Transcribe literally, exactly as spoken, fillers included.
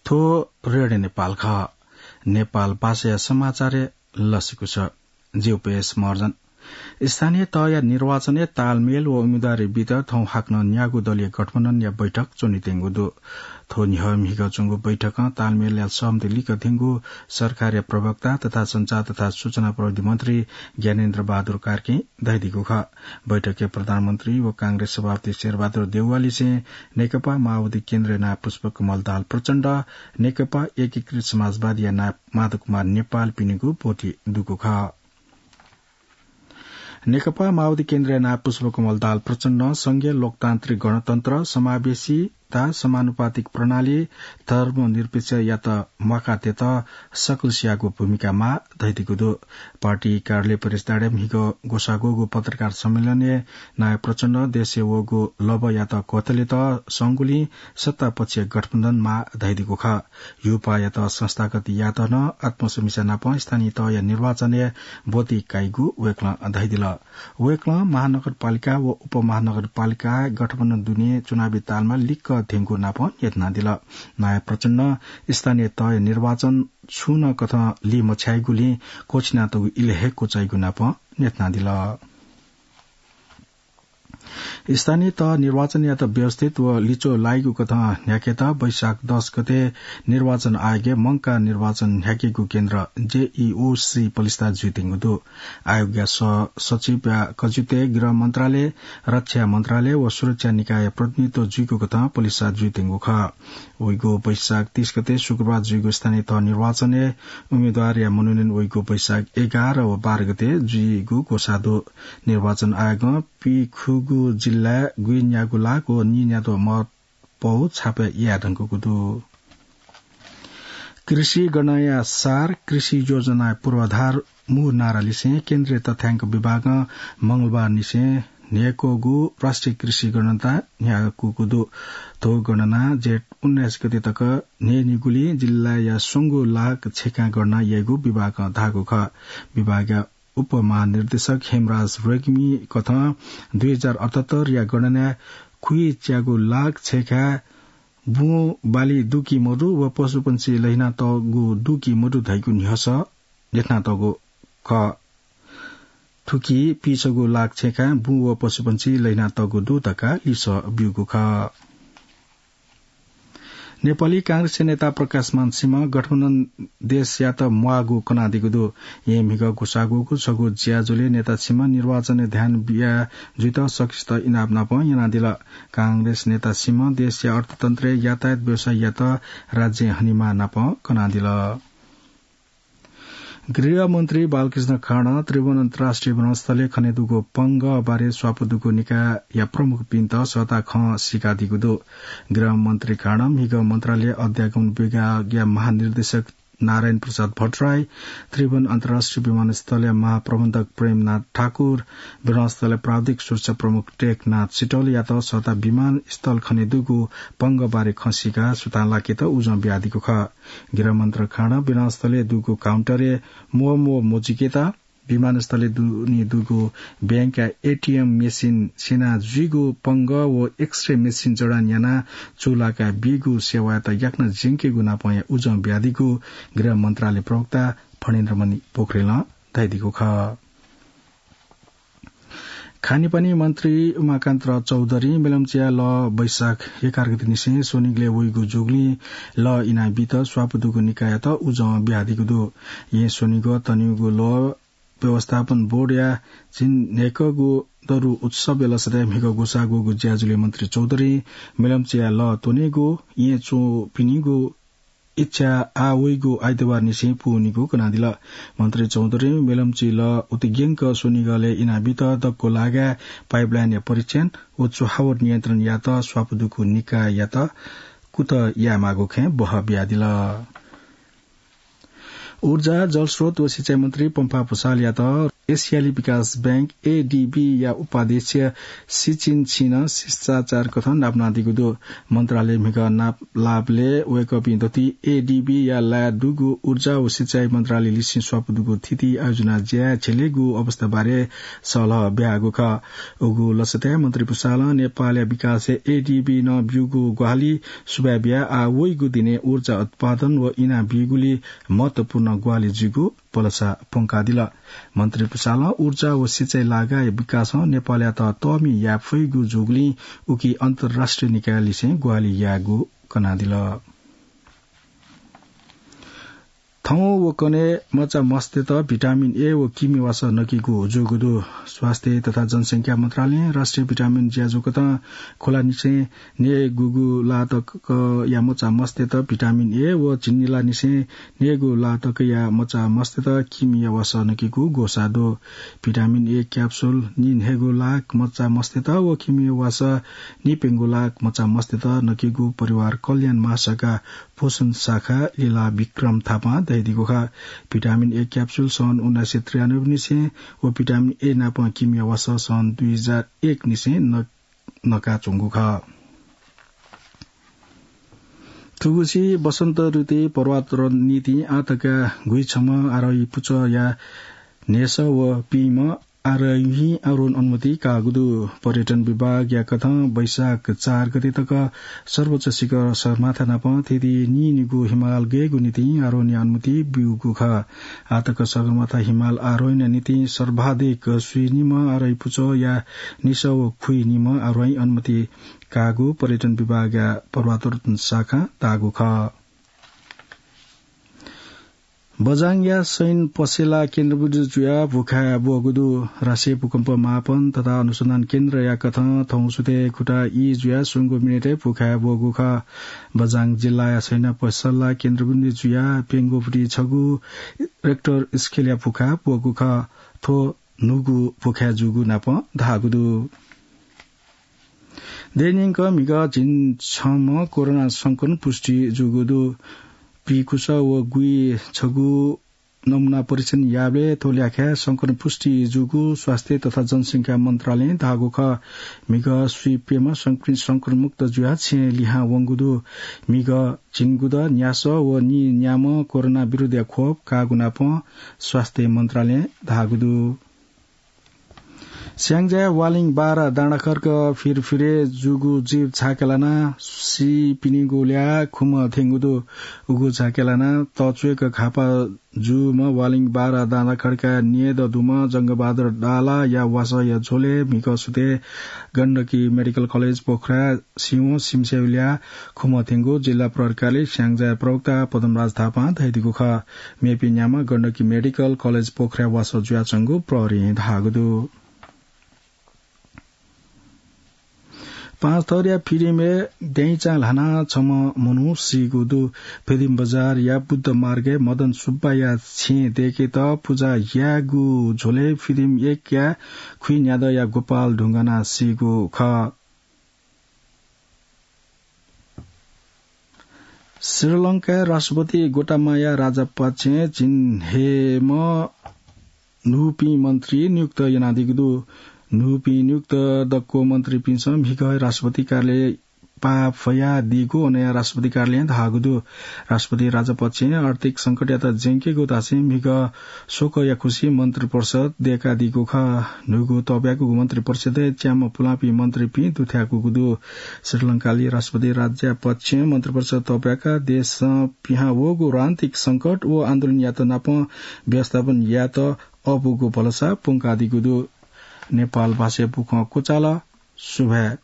थ्व रेडियो नेपाल खः। नेपाल भाषाया समाचारय् लसिकुस। ज्यू, पेश मर्जन। स्थानीय तहया निर्वाचनय् तालमेल व उम्मेदवारी बीत थौं हाकनं न्यागू दलीय गठबन्धनया बैठक च्वनेत्यंगु दु। थ्व न्ह्यः म्हिगः च्वंगु बैठकं तालमेलया सहमति लिकथेंगु सरकारया प्रवक्ता तथा सञ्चार तथा सूचना प्रविधि मन्त्री ज्ञानेन्द्र बहादुर कार्कीं धयादीगु खः। बैठकय् प्रधानमन्त्री व कांग्रेस सभापति शेरबहादुर देउवालिसें नेकपा माओवादी केन्द्रया नायः पुष्पकमल दाहाल प्रचण्ड, नेकपा एकीकृत समाजवादीया नायः माधव कुमार नेपालपिनिगु ब्वति दुगु खः। नेकपा माओवादी केन्द्रया नायः पुष्पकमल दाहाल प्रचण्डं संघीय लोकतान्त्रिक गणतन्त्र, समावेशीता, समानुपातिक प्रणाली, धर्मनिरपेक्षतायात म्वाकाः तयेत सकलसियागु भूमिका माः धयादीगु दु। पार्टी कार्यालय परिसरय् म्हिगः ग्वसाः ग्वःगु पत्रकार सम्मेलनय् नायः प्रचण्डं देशय् वःगु लभ्वयात क्वथलेत संगुलिं सत्तापक्षीय गठबन्धन माः धयादीगु खः। ह्यूपाःयात संस्थागत यायेत नं आत्मसमीक्षा नाप स्थानीय तहया निर्वाचनय् ब्वति काइगु वय्कलं धयादिल। वय्कलं महानगरपालिका व उपमहानगरपालिकाय् गठबन्धन दुने चुनावी तालमा लिक्क धेंगु नाप न्ह्यथनादिल। नायः प्रचण्डं स्थानीय तहया निर्वाचन छुं नं कथं लिमछ्याइगुलिं क्वःछिनातःगु इलय् हे क्वचाइगु नाप न्ह्यथनादिल। स्थानीय तह निर्वाचनयात व्यवस्थित व लिच्वः लाइगु कथं न्ह्याकेत वैशाख दस गते निर्वाचन आयोगय् मंकाः निर्वाचन न्ह्याकेगु केन्द्र जेईओसी पलिस्था जुइत्यंगु दु। आयोगया सह सचिवया कजिपतय् गृह मन्त्रालय, रक्षा मन्त्रालय व सुरक्षा निकायया प्रतिनिधित्व जुइगु कथं पलिस्था जुइत्यंगु खः। वइगु वैशाख तीस गते शुक्रबार जुइगु स्थानीय तह निर्वाचनय् उम्मेदवारया मनोनयन वइगु वैशाख एघार व बाह्र गते जुइगु ग्वसाः दु। निर्वाचन आयोगं पीखुगू जिल्लाय् गुइन्यागू लाख व नीन्याद्वः मत पौ छापे याये धुंकूगु दु। कृषि गणनाया सार, कृषि योजनाया पूर्वाधार मू नारालिसें केन्द्रीय तथ्याङ्क विभागं मंगलबारनिसें न्हय्कूगु राष्ट्रिय कृषि गणना न्ह्याकूगु दु। थ्व गणना जेठ उन्नाइस गते तक न्हय्नीगुलिं जिल्लाया स्वंगू लाख छेँखाय् गणना याइगु विभागं धाःगु खः। विभागया उपमहानिर्देशक हेमराज रेग्मी कथं दुई हजार अठहत्तरया गणनाय् खुइच्यागू लाख छेँखाय् बुँ बाली दु कि मदु व पशुपंक्षी लहिनातःगु दु कि मदु धइगु न्ह्यसः न्ह्यथनातःगु खः। थुकी पीछगू लाख छेँखाय् बुँ व पशुपंक्षी लहिनातःगु दु धकाः लिसः ब्यूगु खः। नेपाली कांग्रेसया नेता प्रकाशमान सिंहं गठबन्धन देशयात म्वाःगु कनादीगु दु। येँ म्हिगः ग्वसाः ग्वःगु छगू ज्याझ्वलय् नेता सिंहं निर्वाचनय् ध्यान बिया जुइत सकसित इनाप नाप यानादिल। कांग्रेस नेता सिंहं देशया अर्थतन्त्रय् यातायात व्यवसाययात राज्यं हनेमाः नाप कनादिल। गृहमन्त्री बालकृष्ण खाँडं त्रिभुवन अन्तर्राष्ट्रिय विमानस्थलय् खनेदुगु पंगः बारे स्वापू दुगु निकायया प्रमुखपिन्त सःता खँ सीकादीगु दु। गृहमन्त्री खाँडं म्हिगः मन्त्रालय अध्यागमन विभागया महानिर्देशक नारायण प्रसाद भट्टराई, त्रिभुवन अन्तर्राष्ट्रिय विमानस्थलया महाप्रबन्धक प्रेमनाथ ठाकुर, विमानस्थलया प्राविधिक सुरक्षा प्रमुख टेकनाथ सिटौलयात सःता विमानस्थल खनेदुगु पंगः बारे खँ सीकाः सुथां लाकेत उजं बियादीगु खः। गृहमन्त्री खाँडं विमानस्थलय् दुगु काउन्टरय् म्वःम्वः मजुइकेत, विमानस्थलय् दुने दुगु बैंकया एटीएम मेसिन स्यना जुइगु पंगः व एक्सरे मेसिन जडान यानाः चूलाकाः बीगु सेवायात याकनं ज्यंकेगु नापं उजं बियादीगु गृह मन्त्रालय प्रवक्ता फणेन्द्रमणि पोखरेलं धयादीगु खः। खानेपानी मन्त्री उमाकान्त चौधरीं मेलम्चीया लः वैशाख एघार गते निसें स्वनिगलय् वइगु जूगुलिं लः इनाबीत स्वापू दुगु निकाययात उजं बियादीगु दु। येँ स्वनिगः तनिगु लः व्यवस्थापन बोर्डया झिंन्हय्कःगु दरु उत्सवया लसताय् म्हिगः ग्वसाः ग्वःगु ज्याझ्वलय् मन्त्री चौधरीं मेलम्चीया लः त्वनेगु येँ च्वंपिनिगु इच्छा आः वइगु आइतबार निसें पूवनीगु कनादिल। मन्त्री चौधरीं मेलम्ची लः उतिग्यंक स्वनिगलय् इनाबीत दक्व लागाय् पाइपलाइनया परीक्षण व चुहावट नियन्त्रण यायेत स्वापू दुगु निकाययात कुतः यायेमाःगु खँय् बहः बियादिल। ऊर्जा, जलस्रोत व सिँचाइ मन्त्री पम्फा भुसालयात एसियाली विकास बैंक, एडीबी या उपाध्यक्ष सिचिन छिनं शिष्टाचार कथं नापनादीगु दु। मन्त्रालय म्हिगः नापलाःबलय् वय्कःपिं दथुइ एडीबी या लाय् दुगु ऊर्जा व सिँचाइ मन्त्रालय लिसें स्वापू दुगु थीथी आयोजना ज्या झेलेगु अवस्था बारे सल्लाह ब्यागु खः। उगु लसताय् मन्त्री पुसालं नेपालया विकासय् एडीबी नं ब्यूगु ग्वाहालि सुभाय् बियाः आः वइगु दिनय् ऊर्जा उत्पादन व इना बीगुली महत्वपूर्ण ग्वाहालि जुइगु भलसा प्वंकादिल। मन्त्री पुसालं ऊर्जा व सिँचाइ लागाय् विकासं नेपालयात तःमि याये फइगु जूगुलिं उकी अन्तर्राष्ट्रिय निकायलिसें ग्वाहालि यायेगु कनादिल। थौं व कन्हय् मचा मस्तय्त भिटामिन ए व किमि वासः नकीगु जूगु दु। स्वास्थ्य तथा जनसंख्या मन्त्रालयं राष्ट्रिय भिटामिन ज्याझ्वः कथं खुलानिसें नयेगूगु ला तकया मचा मस्तय्त भिटामिन ए व झिंनिलानिसें नयेगू ला तकया मचा मस्तय्त किमिया वासः नकीगु ग्वसाः दु। भिटामिन ए क्याप्सुल निन्हय्गू लाख मचा मस्तय्त व किमिया वासः निप्यंगू लाख मचा मस्तय्त नकीगु परिवार कल्याण महाशाखा पोषण शाखा लीला विक्रम थापां धयादीगु खः। भिटामिन ए क्याप्सुल सन् उन्नाइस सय त्रियानब्बे निसें व भिटामिन ए नाप किमिया वासः सन् दुई हजार एक निसें न-, नकाच्वंगु खः। थुगुसी वसन्त ऋतुइ पर्वतारोहण निंतिं आः तक गुइछम्ह आरोही पुचःया न्हय्सः व पिइम्ह आरोहीं आरोहण अनुमति काःगु दु। पर्यटन विभागया कथं वैशाख चार गते तक सर्वोच्च शिखर सगरमाथा नाप थीथी नीनिगू हिमाल गयेगु निंतिं आरोहणया अनुमति ब्यूगु खः। आः तक सगरमाथा हिमाल आरोहणया निंतिं सर्वाधिक स्वीनिम्ह आरोही पुचःया निसः व खुइनिम्ह आरोही अनुमति काःगु पर्यटन विभागया पर्वतारोहण शाखां धाःगु खः। बझाङया सैन पसेला केन्द्रबिन्दु जुयाः भूखाय् ब्वःगु दु। राष्ट्रिय भूकम्प मापन तथा अनुसन्धान केन्द्रया कथं थौं सुथय् खुटा ई जुयाः स्वंगू मिनेटय् भूखाय् ब्वःगु खः। बझाङ जिल्लाया सैन पसेला केन्द्रबिन्दु जुयाः प्यंगूपट्टि छगू रेक्टर स्केलया भूखाय् ब्वःगु खः। थ्व न्हूगु भूखाय् जूगु नाप धाःगु दु। देय् न्यंक म्हिगः झिंछम्ह कोरोना संक्रमण पुष्टि जूगु दु। पीकुस व गुइछगू नमुना परीक्षण याःबलय् थ्व ल्याखय् संक्रमण पुष्टि जूगु स्वास्थ्य तथा जनसंख्या मन्त्रालयं धाःगु खः। म्हिगः स्वीप्यम्ह संक्रमित संक्रमणमुक्त जुयाः छेँय् लिहां वंगु दु। म्हिगः झिंगुदँ न्यासः व नीन्याम्ह कोरोना विरुद्धया खोप काःगु नाप स्वास्थ्य मन्त्रालयं धाःगु दु। स्याङ्जाया वालिङ बारा डाँडाखर्क फिरफिरे जूगु जीप झाके लानाः सीपिनिगु ल्याः खुम्ह थ्यंगु दु। उगु झाके लानाः तच्वय्क घाःपाः जूम्ह वालिङ बारा डाँडाखर्कया न्यय्दँ दुम्ह जंगबहादुर डालाया वासःया झ्वलय् म्हिगः सुथय् गण्डकी मेडिकल कलेज पोखराय् सिवं सिमस्याया ल्याः खुम्ह थ्यंगु जिल्ला प्रहरी कार्यालय स्याङ्जाया प्रवक्ता पदमराज थापां धयादीगु खः। मेपिं न्याम्ह गण्डकी मेडिकल कलेज पोखराय् वासः जुयाच्वंगु प्रहरीं धाःगु दु। पाँचथरया फिदिमय् द्यँइचां ल्हानाः छम्ह मनू सीगु दु। फिदिम बजारया बुद्ध मार्गय् मदन सुब्बाया छेँ दय्केत पुजा यायेगु झ्वलय् फिदिम एकया खुइन्यादँया गोपाल ढुंगानाः सीगु खः। श्रीलंकाया राष्ट्रपति गोटाबाया राजापक्षं झिंन्हय्म्ह न्हूपिं मन्त्री नियुक्त यानादीगु दु। न्हूपिं नियुक्त दक्व मन्त्रीपिन्सं म्हिगः राष्ट्रपति कार्यालय पाः फयादीगु अनया राष्ट्रपति कार्यालयं धाःगु दु। राष्ट्रपति राजापक्षं आर्थिक संकटयात ज्यंकेगु धासें म्हिगः शोकया खुसिइ मन्त्रिपरिषद दय्कादीगु खः। न्हूगु तःब्याकूगु मन्त्रिपरिषदय् च्याम्ह पुलांपिं मन्त्रीपिं दुथ्याकूगु दु। श्रीलंकाली राष्ट्रपति राजापक्षं मन्त्रिपरिषद तःब्याकाः देशं पिहां वःगु रणनीतिक संकट व आन्दोलनयात नाप व्यवस्थापन यायेत अःपुगु भलसा प्वंकादीगु दु। नेपाल भाषाय् बुखँ क्वचाल। सुभाय्।